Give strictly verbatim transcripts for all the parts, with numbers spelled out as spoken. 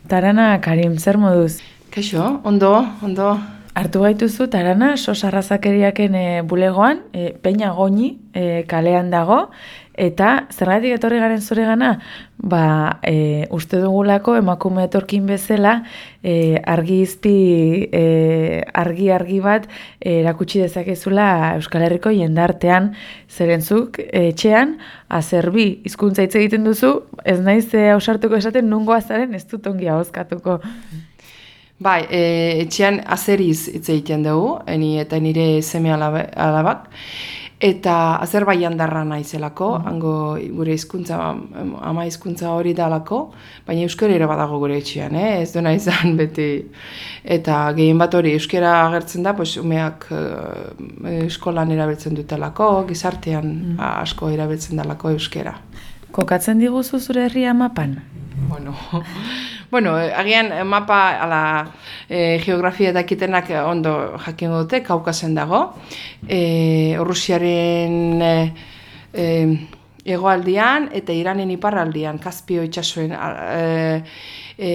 Tarana, Karim, zer moduz? Kaixo, ondo, ondo. Hartu gaituzu, Tarana, sos arrazakeriaken e, bulegoan, e, Peña Goñi e, kalean dago, eta zergatik etorri garen zure gana? Ba, e, uste dugulako emakume etorkin bezala, e, argi izpi, e, argi-argi bat e, erakutsi dezakezula Euskal Herriko jendartean, zerentzuk etxean, azerbi hizkuntza hitz egiten duzu, ez naiz e, ausartuko esaten nungo azaren ez dut ongi ahozkatuko. Bai, e, etxean azeriz hitz egiten dugu, eni eta nire seme alabak, eta Azerbaijan darra naizelako, mm. hango gure hizkuntza ama hizkuntza hori dalako, baina euskara ere badago gure etxean, eh? Ez duena izan beti. Eta gehien bat hori euskara agertzen da, pues umeak uh, eskolan erabiltzen dutelako, gizartean mm. asko erabiltzen dalako euskara. Kokatzen diguzu zure herria mapan? Bueno, bueno, agian mapa ala e, geografia dakitenak ondo jakingo dute, Kaukasen dago. E, Rusiaren e, e, hegoaldean eta Iranen iparraldean, Kaspio itsasoen e, e,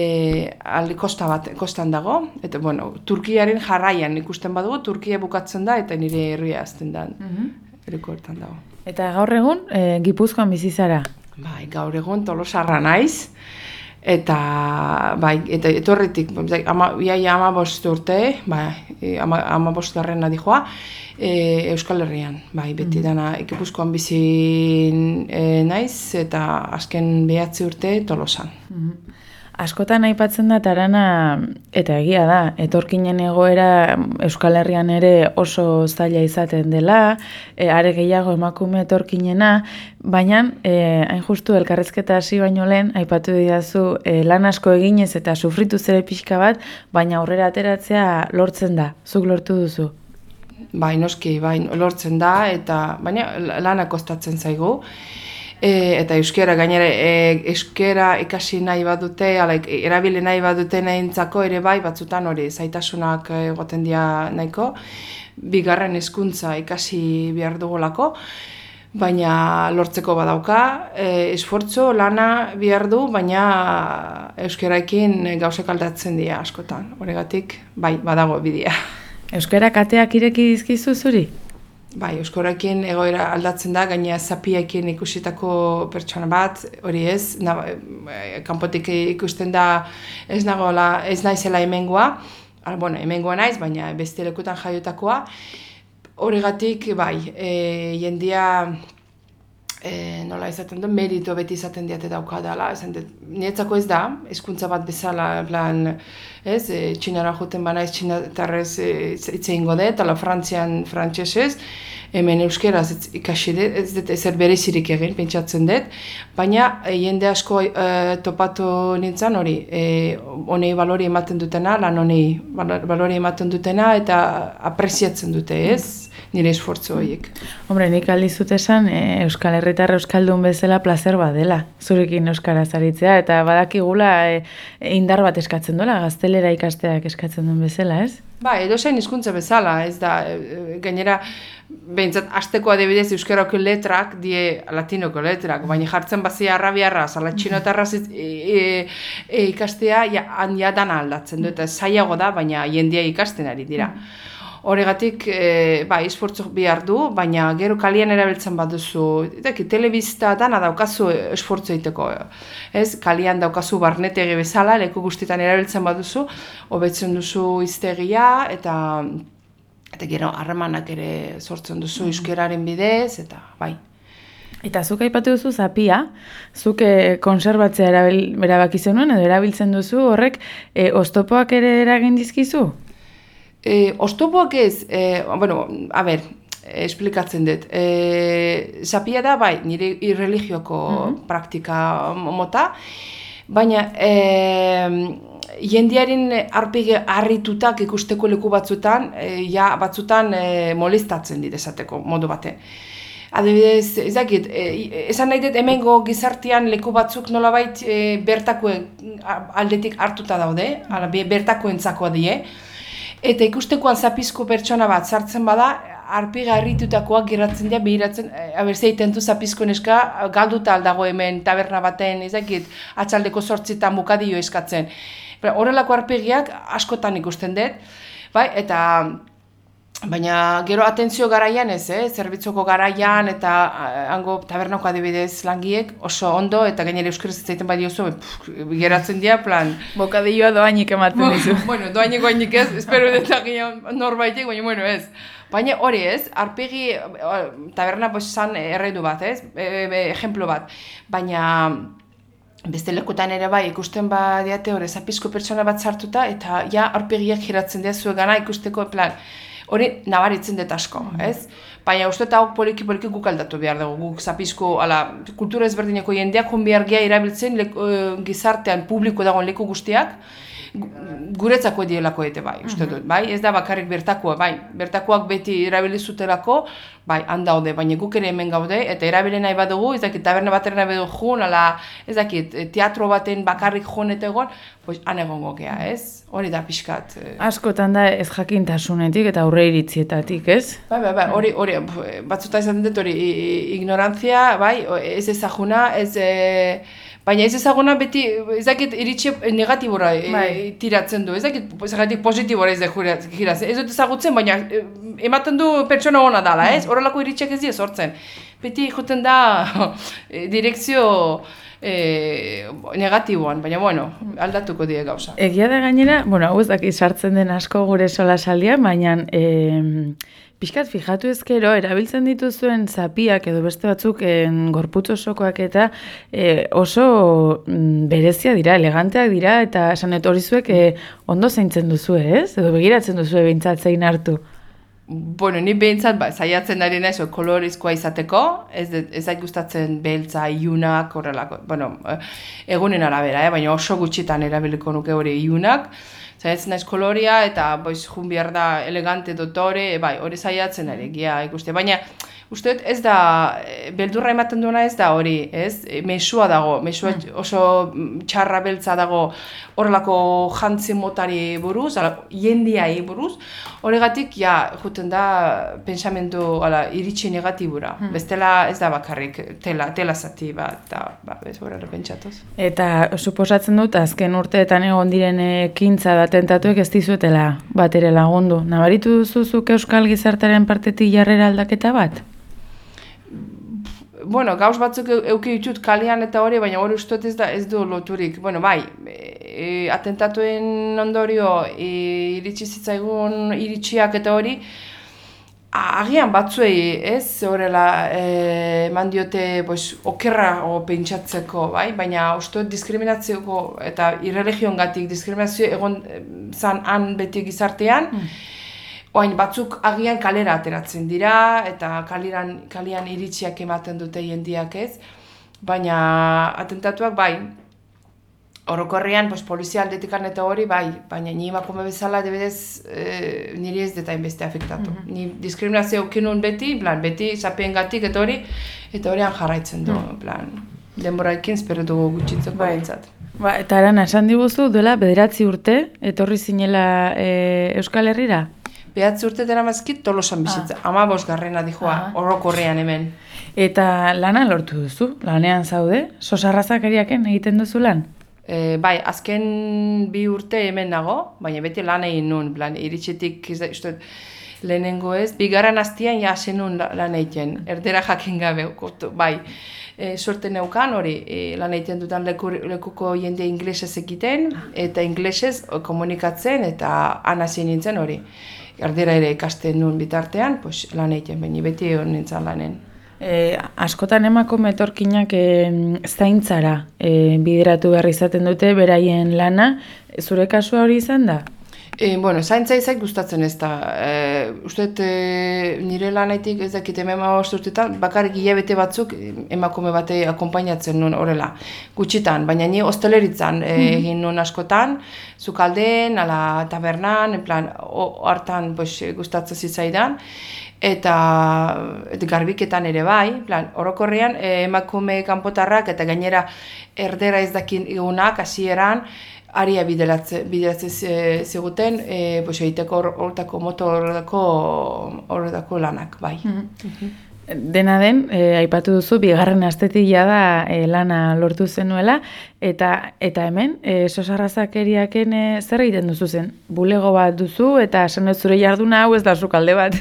alde kosta bat kostan dago. Eta bueno, Turkiaren jarraian ikusten badugu, Turkia bukatzen da eta nire herria hasten da. Mhm. Eriko hortan dago. Eta gaur egun e, Gipuzkoan bizi zara? Bai, gaur egun Tolosarra naiz, eta bai, eta etorritik, ama, iaia ama bost urte, bai, ama, ama bost garrena dijoa, e, Euskal Herrian, bai, beti dana Gipuzkoan bizi e, naiz, eta azken behatzi urte Tolosan. Mm-hmm. Askotan aipatzen da Tarana, eta egia da, etorkinen egoera Euskal Herrian ere oso zaila izaten dela, e, are gehiago emakume etorkinena, baina e, hain justu elkarrezketa hasi baino lehen, aipatu didazu e, lan asko eginez eta sufritu zere pixka bat, baina aurrera ateratzea lortzen da, zuk lortu duzu. Bai, noski, bai, lortzen da, eta baina lana kostatzen zaigu. E, eta euskera gainera e, euskera ikasi nahi badute, ala, erabile nahi badute nahintzako ere bai batzutan hori zaitasunak egoten dira nahiko, bigarren hezkuntza ikasi behar dugulako, baina lortzeko badauka, e, esfortzo lana behar du, baina euskeraekin gauzek aldatzen dira askotan, horregatik bai badago bidea. Euskara kateak ireki dizkizu zuri? Bai, euskararekin egoera aldatzen da, gaina zapiekin ikusitako pertsona bat, hori ez, na, kanpotik ikusten da ez nagoela, ez naizela hemengoa, bueno, hemengoa naiz, baina beste lekutan jaiotakoa, horregatik, bai, e, jendia, e, nola izaten du, merito beti izaten diate dauka dela, niretzako ez da, hizkuntza bat bezala, plan, ez, e, txinara joten banaiz, txinatarrez hitz egingo dut, ala Frantzian frantsesez, hemen euskeraz ikasi dut, ez dut ezer berezirik egin, pentsatzen dut, baina e, jende asko e, topatu nintzen hori, e, honei balori ematen dutena, lan honei balori ematen dutena, eta apreziatzen dute, ez, nire esfortzu horiek. Hombre, nik aldizut esan, e, Euskal Herritar Euskaldun bezala plazer bat dela, zurekin euskaraz aritzea, eta badakigula e, indar bat eskatzen duela, gaztelera ikasteak eskatzen duen bezala, ez? Ba, edozein hizkuntza bezala, ez da, e, gainera, behintzat, azteko adibidez euskarako letrak, die latinoko letrak, baina jartzen bazia arrabiarraz, ala txinotarraz e, e, e, ikastea, ja, ja dana aldatzen du, eta zailago da, baina jendia ikasten ari dira. Horregatik, e, bai, esfortzu behar du, baina gero kalian erabiltzen baduzu, edaki, telebista dana daukazu esfortzu egiteko, ez? Kalian daukazu barnetegi bezala, leku guztietan erabiltzen baduzu, hobetzen duzu hiztegia, eta eta gero harremanak ere sortzen duzu euskararen bidez, eta bai. Eta zuk aipatu duzu zapia, zuk e, konserbatzea erabil, erabaki zenuen, edo erabiltzen duzu horrek, e, oztopoak ere eragin dizkizu? E, Oztopoak ez, e, bueno, a ber, esplikatzen dut. E, zapia da, bai, nire irreligioko mm-hmm. praktika mota, baina e, jendearen arpege harritutak ikusteko leku batzutan, e, ja, batzutan e, molestatzen dit esateko modu bate. Adibidez, ez dakit, e, esan nahi dut hemengo gizartean leku batzuk nolabait e, bertakoen aldetik hartuta daude, ala, bertakoentzako die, eta ikustekoan zapizko pertsona bat sartzen bada, arpiga harritutakoak geratzen dira behiratzen, abertzea itentu zapizko neska, galduta aldago hemen taberna baten, ezakit, atxaldeko zortzitan bukadio eskatzen. Horrelako arpegiak askotan ikusten dut, bai, eta baina gero atentzio garaian ez, eh? Zerbitzoko garaian eta hango tabernako adibidez langiek oso ondo eta gainera euskaraz ez zaiten badiozu, geratzen dira plan. Bokadilloa doainik ematen dizu. Bueno, doainik doainik ez, espero dut norbaitek, baina bueno ez. Baina hori ez, arpegi taberna bosan erredu bat ez, e, e, ejemplo bat, baina beste lekutan ere bai ikusten badiate hori zapizko pertsona bat sartuta eta ja arpegiak geratzen dira zuegana ikusteko plan. Hori nabaritzen dut asko, ez? Baina uste eta hok poliki-poliki guk aldatu behar dugu, guk zapizko, ala, kultura ezberdineko jendeak hon behar geha erabiltzen leku, gizartean publiko dagoen leku guztiak, guretzako dielako ete bai, uste dut, bai? Ez da bakarrik bertakoa, bai, bertakoak beti erabilizutelako, bai, handaude, baina guk ere hemen gaude, eta erabile nahi badugu, ez dakit, taberna batera nahi badugu jun, ala, ez dakit, teatro baten bakarrik jun eta egon, pues, han egongo gea, ez? Hori da pixkat. Askotan da ez jakintasunetik eta aurre iritzietatik, ez? Bai, bai, bai, hori, hori, batzuta izan dut hori, ignorantzia, bai, ez ezaguna, ez... Baina ez ezaguna beti, ez dakit iritsi negatibora e, tiratzen du, ez dakit ez positibora ez da giratzen. Ez dut ezagutzen, baina ematen du pertsona hona dala, ez? Horrelako iritsiak ez dira sortzen. Beti joten da direkzio e, negatiboan, baina bueno, aldatuko die gauza. Egia da gainera, bueno, hau ez dakit sartzen den asko gure solasaldian, baina... E, Piskat, fijatu ezkero, erabiltzen dituzuen zapiak edo beste batzuk en, gorputz osokoak eta e, oso mm, berezia dira, eleganteak dira, eta esanet hori zuek e, ondo zaintzen duzu, ez? Edo begiratzen duzu behintzat zein hartu. Bueno, ni behintzat, ba, zaiatzen ari naiz, kolorizkoa izateko, ez, ez zait gustatzen beltza, iunak, horrelako, bueno, egunen arabera, eh? Baina oso gutxitan erabiliko nuke hori iunak, zaiatzen naiz koloria eta boiz jun behar da elegante dotore, bai, hori zaiatzen ari, gia ikuste. Baina, uste ez da, beldurra ematen duena ez da hori, ez? Mesua dago, mesua oso txarra beltza dago horrelako jantzi motari buruz, ala, jendiai buruz, horregatik, ja, juten da pensamendu, ala, iritsi negatibura. Hmm. Bestela ez da bakarrik tela, tela zati bat, eta, ba, ez horrela pentsatuz. Eta, suposatzen dut, azken urteetan egon diren ekintza da tentatuek ez dizuetela bat ere lagundu. Nabaritu duzuzuk euskal gizartaren partetik jarrera aldaketa bat? Bueno, gauz batzuk euki ditut kalian eta hori, baina hori uste ez da ez du loturik. Bueno, bai, e, atentatuen ondorio e, iritsi zitzaigun iritsiak eta hori, agian batzuei, ez, horrela eman diote pues, okerra o pentsatzeko, bai? Baina uste diskriminazioko eta irreligiongatik diskriminazio egon zan han beti gizartean, mm. Oain batzuk agian kalera ateratzen dira, eta kaliran, kalian iritsiak ematen dute jendiak ez, baina atentatuak bai, orokorrean pues, polizia aldetikan eta hori bai, baina ni emakume bezala debedez e, niri ez deta inbeste afektatu. Mm-hmm. Ni diskriminazio aukinun beti, plan, beti zapeengatik eta hori, eta horian jarraitzen du, mm. plan, denboraekin espero dugu gutxitzeko bai. Bintzat. Ba, eta Arana, esan diguzu, duela bederatzi urte, etorri zinela e, Euskal Herrira? Behatzi urte dara mazkit Tolosan bizitza, ah. ama bosgarrena dijoa, ah. orokorrean hemen. Eta lana lortu duzu, lanean zaude, sosarrazakeriaken egiten duzu lan? E, bai, azken bi urte hemen nago, baina beti lan egin nun, plan, iritsetik, izte, lehenengo ez, bigarren hastian ja hasi nun lan egiten, erdera jakin gabe, bai. E, suerte neukan hori, e, lan egiten dutan leku, lekuko jende inglesez egiten, eta inglesez komunikatzen, eta han hasi nintzen hori. Erdera ere ikasten nuen bitartean, pues, lan egiten, baina beti egon nintzen lanen. E, askotan emakume etorkinak e, zaintzara e, bideratu behar izaten dute beraien lana, zure kasua hori izan da? E, bueno, zaintza izak gustatzen ez da. E, Uste, e, nire lanetik ez dakit hemen maost urtetan, bakarrik hilabete batzuk emakume bate akompainatzen nuen horrela, gutxitan, baina ni hosteleritzan e, egin nuen askotan, zukalden, ala tabernan, en plan, hartan pues, gustatzen zitzaidan, eta, eta garbiketan ere bai, plan, orokorrean e, emakume kanpotarrak eta gainera erdera ez dakin egunak, hasieran, aria bideratzen ziguten, e, pues, egiteko horretako moto horretako lanak, bai. Mm-hmm. Dena den, e, aipatu duzu, bigarren astetik da e, lana lortu zenuela, eta eta hemen, e, sosarrazakeriaken e, zer egiten duzu zen? Bulego bat duzu, eta esan ez zure jarduna hau ez da sukalde bat.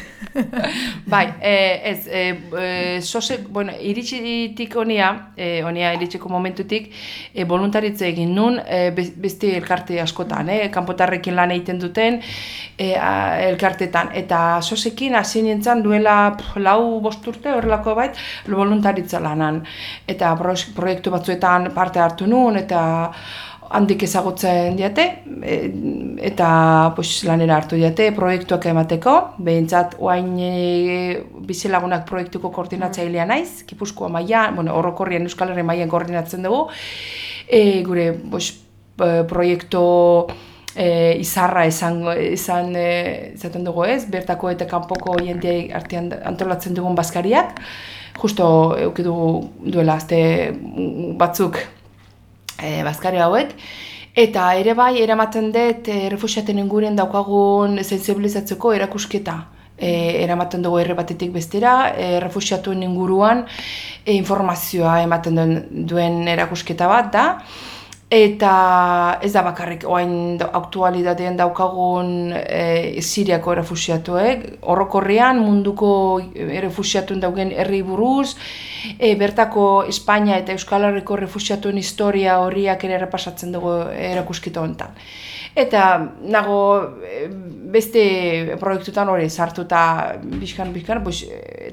Bai, e, ez, e, e, sosek, bueno, iritsitik honia, e, honia iritsiko momentutik, e, voluntaritze egin nun, e, beste elkarte askotan, e, kanpotarrekin lan egiten duten, e, a, elkartetan, eta sosekin hasi nintzen duela pff, lau bost urte horrelako bait, voluntaritza lanan. Eta proiektu batzuetan parte hartu nun, eta handik ezagutzen diate, eta pues, lanera hartu diate, proiektuak emateko, behintzat oain e, bizilagunak proiektuko koordinatzailea naiz, Gipuzkoa mailan, bueno, orokorrian Euskal Herri mailan koordinatzen dugu, e, gure pues, proiektu E, izarra izan, izan e, izaten dugu ez, bertako eta kanpoko jendeei artean antolatzen dugun bazkariak, justo eduki dugu duela azte batzuk e, bazkari hauek, eta ere bai eramaten dut e, refuxiaten inguruan daukagun sensibilizatzeko erakusketa. E, eramaten dugu herri batetik bestera, e, refuxiatuen inguruan e, informazioa ematen duen, duen erakusketa bat da, eta ez da bakarrik oain aktualitatean daukagun e, Siriako errefuxiatuek, orokorrean munduko errefuxiatuen daugen herri buruz, e, bertako Espainia eta Euskal Herriko errefuxiatuen historia horriak ere errepasatzen dugu erakusketa honetan. Eta nago beste proiektutan hori sartuta bizkan-bizkan,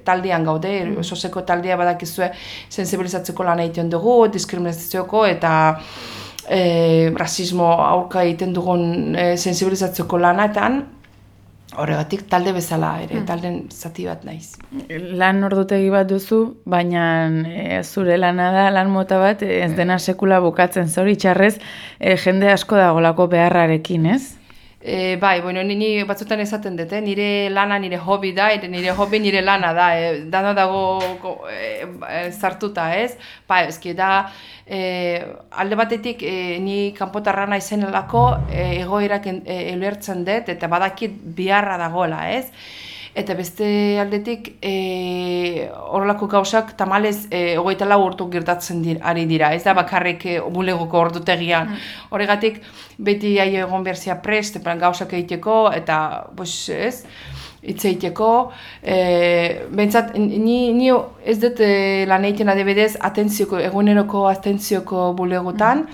taldean gaude, mm. soseko taldea badakizue sensibilizatzeko lan egiten dugu, diskriminazioko eta E, rasismo aurka egiten dugun e, sensibilizatzeko lanaetan, horregatik talde bezala ere, hmm. talden zati bat naiz. Lan ordutegi bat duzu, baina e, zure lana da, lan mota bat, ez dena sekula bukatzen zoritxarrez, e, jende asko dagolako beharrarekin, ez? E, bai, bueno, ni batzutan esaten dut, eh? Nire lana nire hobi da, nire hobi nire lana da, eh? Dana dago e, zartuta, ez? Ba, ezki da, e, alde batetik e, ni kanpotarra naizenelako e, egoerak ulertzen dut, eta badakit biharra dagoela, ez? Eta beste aldetik e, horrelako gauzak tamalez e, hogeita lau urtu gertatzen dira, ari dira, ez da bakarrik e, bulegoko ordutegian. Horregatik beti aio egon berzia prest, gauzak egiteko eta pues, ez, hitz egiteko. E, Bentsat, ni, ni ez dut e, lan egiten adibidez atentzioko, eguneroko atentzioko bulegotan,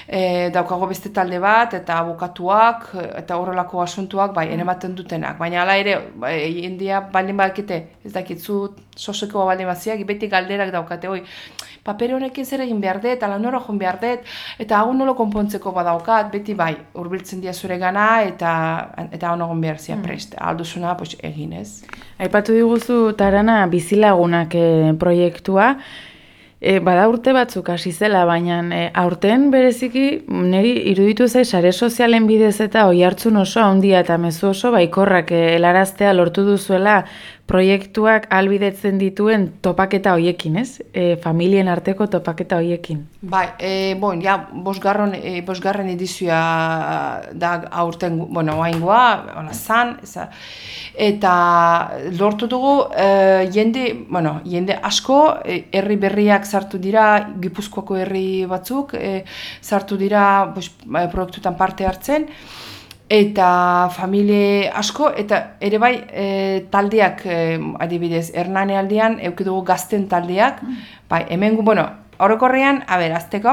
E, daukago beste talde bat, eta abokatuak, eta horrelako asuntuak, bai, eramaten dutenak. Baina hala ere, bai, jendia baldin badakite, ez dakitzu, soseko baldin baziak, beti galderak daukate, oi, paper honekin zer egin behar dut, ala nora joan behar dut, eta hau nolo konpontzeko badaukat, beti bai, hurbiltzen dia zure gana, eta eta hau nagon behar zia prest, alduzuna, pues, egin ez. Aipatu diguzu, Tarana, bizilagunak e, proiektua, E, bada urte batzuk hasi zela, baina e, aurten bereziki niri iruditu zai sare sozialen bidez eta oihartzun oso handia eta mezu oso baikorrak e, helaraztea lortu duzuela proiektuak ahalbidetzen dituen topaketa hoiekin, ez? E, familien arteko topaketa hoiekin. Bai, e, bon, ja, bosgarren, e, bosgarren edizioa da aurten, bueno, oaingoa, ona zan, eza, eta lortu dugu e, jende, bueno, jende asko, e, herri berriak sartu dira, Gipuzkoako herri batzuk, e, sartu dira bos, proiektutan parte hartzen, eta familie asko, eta ere bai e, taldeak e, adibidez, Hernane aldean, eduki dugu gazten taldeak, mm. bai, hemen, bueno, orokorrean, a ber, azteko,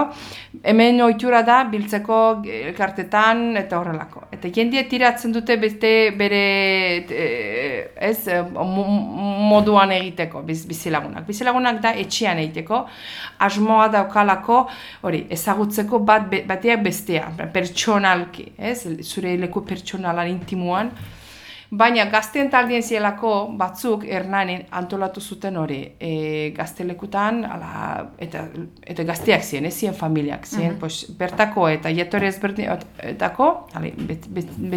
hemen ohitura da biltzeko elkartetan eta horrelako. Eta jendea tiratzen dute beste bere e, ez, moduan egiteko bizilagunak. Bizilagunak da etxean egiteko, asmoa daukalako hori ezagutzeko bat bateak bestea, pertsonalki, ez, zure leku pertsonalan intimuan. Baina gazten taldien zielako batzuk Hernanen antolatu zuten hori e, gaztelekutan, ala, eta, eta gazteak ziren, ez ziren familiak, ziren, uh-huh. pues, bertako eta jetore ezberdinetako,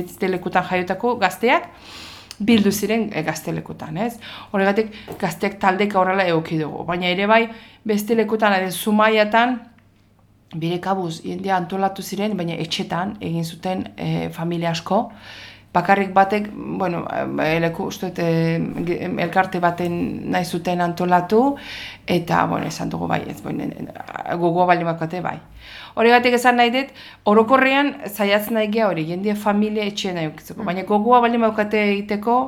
bestelekutan jaiotako gazteak, bildu ziren e, gaztelekutan, ez? Horregatik gazteak taldeka horrela eduki dugu, baina ere bai bestelekutan, edo Zumaiatan, bere kabuz jendea antolatu ziren, baina etxetan egin zuten e, familia asko. Bakarrik batek, bueno, eleku, uste, e, elkarte baten nahi zuten antolatu, eta, bueno, esan dugu bai, ez, bueno, gogoa bali makate bai. Horregatik esan nahi dut, orokorrean zaiatzen nahi geha hori, jendea familia etxean nahi ukitzeko, baina gogoa bali makate egiteko,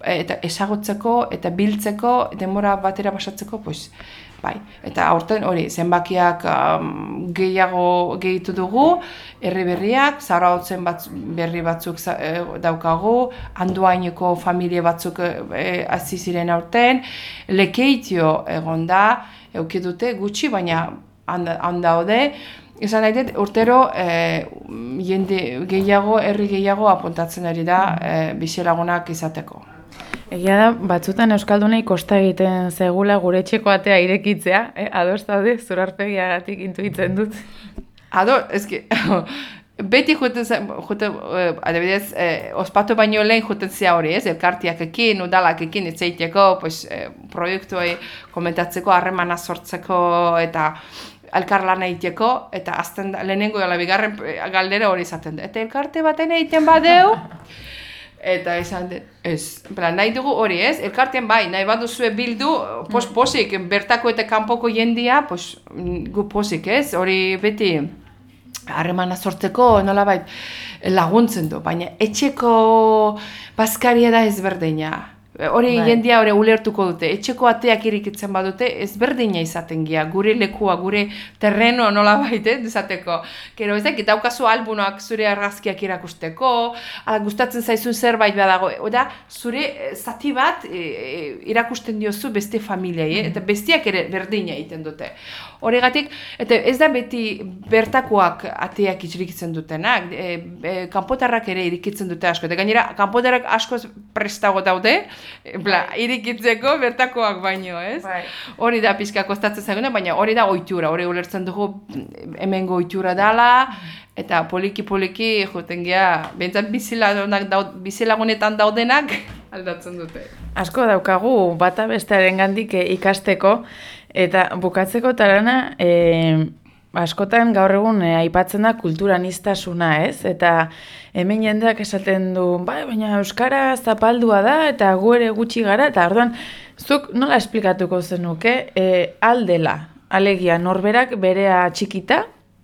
eta esagotzeko, eta biltzeko, denbora batera pasatzeko, pues, bai, eta aurten hori, zenbakiak um, gehiago gehitu dugu, herri berriak, Zarautzen batz, berri batzuk e, daukagu, Andoaineko familie batzuk e, hasi ziren aurten, Lekeitio egon da, euki dute gutxi, baina handaude, esan nahi dut, urtero e, jende gehiago, herri gehiago apuntatzen ari da e, bizilagunak izateko. Egia da, batzutan Euskaldunei kosta egiten zegula gure etxeko atea irekitzea, eh? Ados daude, zurarpegiagatik intuitzen dut. Ado, eski, beti juten zen, juten, adibidez, eh, ospatu baino lehen juten zea hori, ez? Elkartiak ekin, udalak ekin, etzeiteko, pues, eh, proiektuei komentatzeko, harremana sortzeko, eta elkarlana egiteko, eta azten lehenengo gala bigarren galdera hori izaten da. Eta elkarte baten egiten badeu, eta esan dut, ez, nahi dugu hori ez, elkartean bai, nahi baduzue bildu, pos posik, bertako eta kanpoko jendia, pos, gu posik ez, hori beti harremana sortzeko nolabait laguntzen du, baina etxeko bazkaria da ezberdina. Hori jendia hori ulertuko dute, etxeko ateak irikitzen badute ezberdina izaten gia, gure lekua, gure terreno nola baite, izateko. Gero ez dakit, daukazu albunoak zure argazkiak irakusteko, gustatzen zaizun zerbait badago, oda zure zati bat e, irakusten diozu beste familiai, eta bestiak ere berdina egiten dute. Horregatik, eta ez da beti bertakoak ateak irikitzen dutenak, e, e, kanpotarrak ere irikitzen dute asko, eta gainera kanpotarrak asko prestago daude, Bla, irikitzeko bertakoak baino, ez? Bai. Hori da pixka kostatzen zaiguna, baina hori da ohitura, hori ulertzen dugu hemengo ohitura dela, eta poliki-poliki joten gea, behintzat bizilagunetan daudenak aldatzen dute. Asko daukagu bata bestearen gandik ikasteko, eta bukatzeko tarana, e, askotan gaur egun e, aipatzen da kulturaniztasuna, ez? Eta hemen jendeak esaten du, bai, baina euskara zapaldua da eta gu ere gutxi gara, eta orduan zuk nola esplikatuko zenuke e, aldela, alegia norberak berea txikita,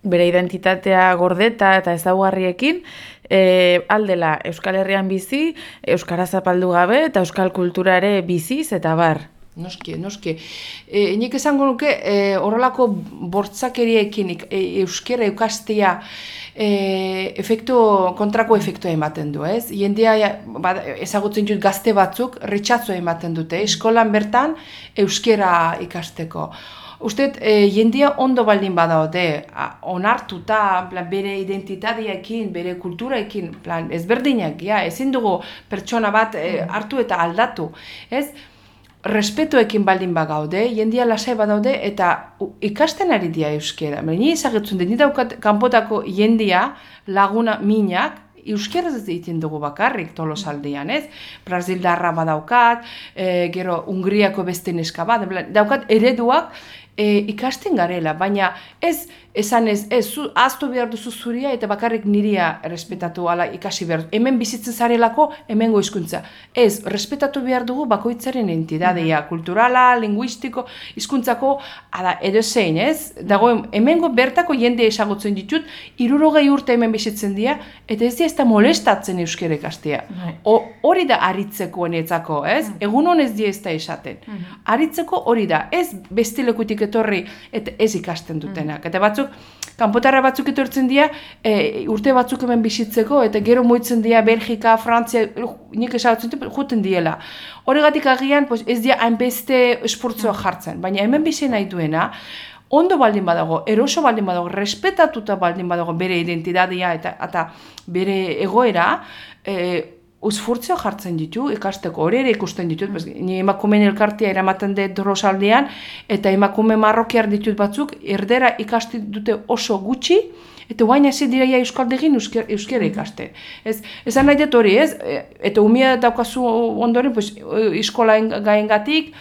bere identitatea gordeta eta ezaugarriekin, e, aldela Euskal Herrian bizi, euskara zapaldu gabe eta euskal kultura ere biziz eta bar. Noski, noski. E, nik esango nuke, e, horrelako bortzakeriekin e, euskera eukastea e, efektu, kontrako efektua ematen du, ez? Jendea ba, ezagutzen dut gazte batzuk ritxatzua ematen dute, eskolan bertan euskera ikasteko. Usteet, e, jendea ondo baldin badaude, onartuta, plan, bere identitateekin, bere kulturaekin, plan, ezberdinak, ja, ezin dugu pertsona bat e, hartu eta aldatu, ez? Respetuekin baldin bagaude, jendia lasai badaude eta ikasten ari dira euskera. Ni ezagutzen dut, ni daukat kanpotako jendia laguna minak, euskeraz ez egiten dugu bakarrik Tolosaldean, ez? Brasildarra badaukat, e, gero Hungriako beste neska bat, daukat ereduak e, ikasten garela, baina ez esan ez, ez, zu, aztu behar duzu zuria eta bakarrik niria respetatu ala ikasi behar. Hemen bizitzen zarelako, hemengo hizkuntza. Ez, respetatu behar dugu bakoitzaren entidadea, kulturala, linguistiko, hizkuntzako, ala, edo zein, ez? Dago, hemengo bertako jende esagutzen ditut, hirurogei urte hemen bizitzen dira, eta ez dira ez da molestatzen euskera ikastea. Hori da aritzeko enetzako, ez? Egun honez dira ez da esaten. Aritzeko hori da, ez bestilekutik etorri, eta ez ikasten dutenak. Eta batzuk, kanpotarra batzuk etortzen dira, e, urte batzuk hemen bizitzeko, eta gero moitzen dira Belgika, Frantzia, nik esagutzen dut, juten diela. Horregatik agian, pues, ez dira hainbeste esportzua jartzen, baina hemen bizi nahi duena, ondo baldin badago, eroso baldin badago, respetatuta baldin badago bere identitatea eta, eta bere egoera, e, uzfurtzio jartzen ditu, ikasteko hori ere ikusten ditut, bez, ni emakumeen elkartea eramaten dut Tolosaldean, eta emakume marrokiar ditut batzuk, erdera ikasti dute oso gutxi, eta guain hasi dira euskaldegin euskera ikaste. Ez, esan nahi dut hori, ez? Eta umia daukazu ondoren, pues, iskola gaengatik,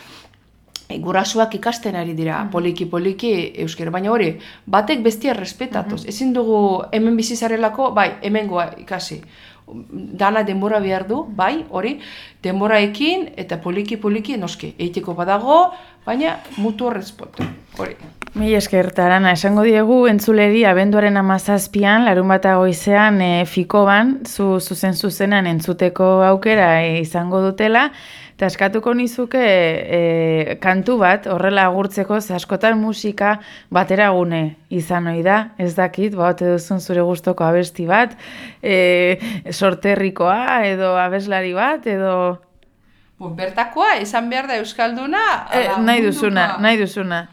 gurasuak ikasten ari dira, poliki-poliki euskera, baina hori, batek bestia respetatuz. Ezin dugu hemen bizizarelako, bai, hemengoa ikasi. Dana denbora behar du, bai, hori, denboraekin eta poliki-poliki noski, eiteko badago, baina mutu respetu, hori. Mi esker, Arana, esango diegu entzuleri abenduaren hamazazpian, larun bata goizean e, Fikoban, zu zuzen zuzenan entzuteko aukera e, izango dutela, eta eskatuko nizuke e, kantu bat, horrela agurtzeko, ze askotan musika bateragune izan ohi da, ez dakit, baute duzun zure gustoko abesti bat, e, sorterrikoa, edo abeslari bat, edo... Bertakoa, izan behar da Euskalduna? E, nahi duzuna, nahi duzuna.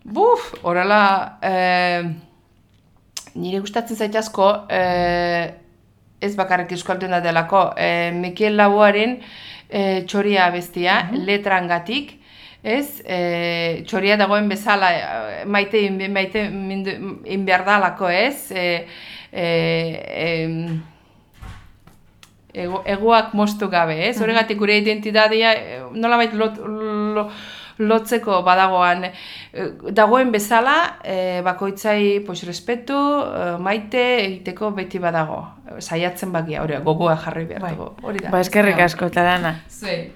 Buf, horrela, eh, nire gustatzen zait asko, eh, ez bakarrik Euskalduna delako, eh, Mikel Laboaren eh, txoria bestia, uh-huh. letrangatik, ez, eh, txoria dagoen bezala, maite maite inberdalako, ez, eh, eh, ego, egoak moztu gabe, ez, horregatik gure identitatea, nolabait lot, lo, lotzeko badagoan, dagoen bezala, e, bakoitzai pues, respetu, e, maite egiteko beti badago. Saiatzen bakia, hori gogoa jarri behar dugu. Ba, eskerrik asko, Arana. Zuei.